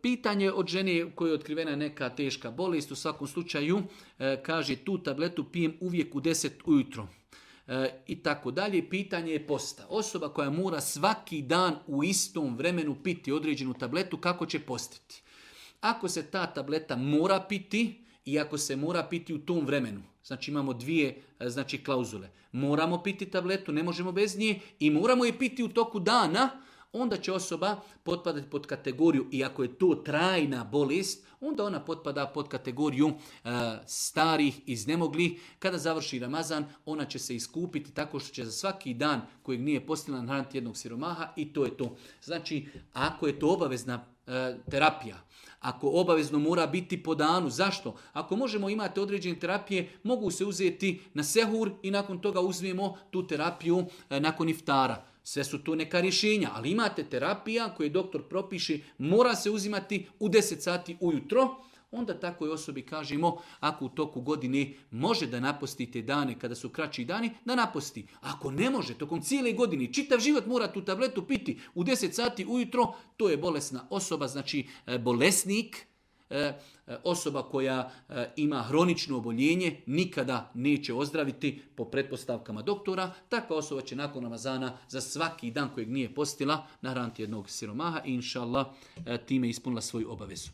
Pitanje od žene koje je otkrivena neka teška bolest, u svakom slučaju kaže tu tabletu pijem uvijek u 10 ujutro. I tako dalje. Pitanje je posta. Osoba koja mora svaki dan u istom vremenu piti određenu tabletu, kako će postiti? Ako se ta tableta mora piti i ako se mora piti u tom vremenu, znači imamo dvije klauzule. Moramo piti tabletu, ne možemo bez nje i moramo je piti u toku dana, onda će osoba potpadati pod kategoriju, i ako je to trajna bolest, onda ona potpada pod kategoriju starih, iznemoglih. Kada završi Ramazan, ona će se iskupiti tako što će za svaki dan kojeg nije postila nahraniti jednog siromaha i to je to. Znači, ako je to obavezna terapija, ako obavezno mora biti po danu, zašto? Ako možemo imati određene terapije, mogu se uzeti na sehur i nakon toga uzmemo tu terapiju nakon iftara. Sve su to neka rješenja, ali imate terapija koju doktor propiše, mora se uzimati u 10 sati ujutro, onda takvoj osobi kažemo, ako u toku godine može da napostite dane kada su kraći dani, da naposti. Ako ne može, tokom cijele godine, čitav život mora tu tabletu piti u 10 sati ujutro, to je bolesna osoba, znači bolesnik, osoba koja ima hronično oboljenje, nikada neće ozdraviti po pretpostavkama doktora. Takva osoba će nakon Ramazana za svaki dan kojeg nije postila nahraniti jednog siromaha i inša Allah time ispunila svoju obavezu.